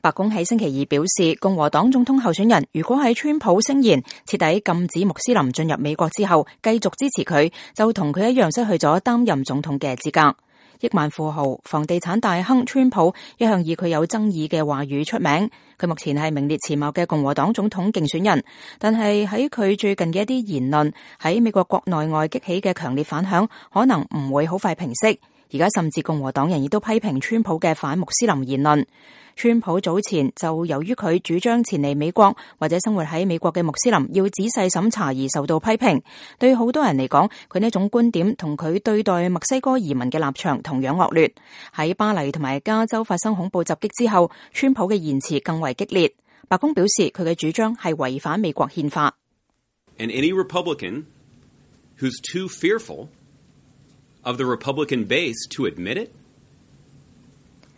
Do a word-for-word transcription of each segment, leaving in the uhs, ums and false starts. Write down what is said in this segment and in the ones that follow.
白宮喺星期二表示，共和黨總統候選人如果喺川普聲言徹底禁止穆斯林進入美國之後繼續支持佢，就同佢一樣失去咗擔任總統嘅資格。億萬富豪、房地產大亨川普一向以佢有爭議嘅話語出名，佢目前係名列前茅嘅共和黨總統競選人，但係喺佢最近嘅一啲言論喺美國國內外激起嘅強烈反響，可能唔會好快平息。而家甚至共和黨人亦都批評川普嘅反穆斯林言論。川普早前就由於佢主張前嚟美國或者生活喺美國嘅穆斯林要仔細審查而受到批評。對好多人嚟講，佢呢種觀點同佢對待墨西哥移民嘅立場同樣惡劣。喺巴黎同埋加州發生恐怖襲擊之後，川普嘅言辭更為激烈。白宮表示佢嘅主張係違反美國憲法。And any Republican who's too fearful of the Republican base to admit it?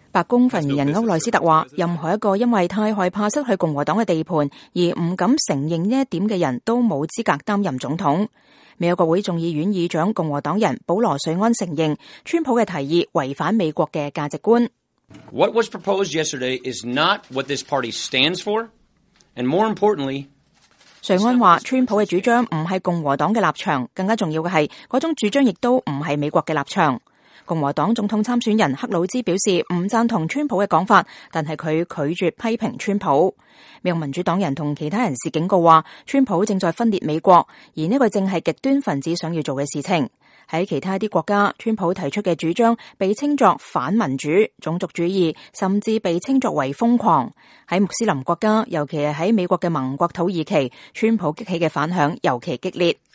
白宮發言人歐內斯特話，任何一個因為太害怕失去共和黨嘅地盤而唔敢承認呢一點嘅人都冇資格擔任總統。美國國會眾議院議長共和黨人保羅瑞安承認，川普嘅提議違反美國嘅價值觀。What was proposed yesterday is not what this party stands for, and more importantly, 瑞安話，川普嘅主張唔係共和黨嘅立場，更加重要嘅係嗰種主張亦都唔係美國嘅立場。共和黨總統參選人克魯茲表示唔贊同川普嘅講法，但係佢拒絕批評川普。美國民主黨人同其他人士警告話，川普正在分裂美國，而呢個正係極端分子想要做嘅事情。喺其他一啲國家，川普提出嘅主張被稱作反民主、種族主義，甚至被稱作為瘋狂。喺穆斯林國家，尤其係喺美國嘅盟國土耳其，川普激起嘅反響尤其激烈。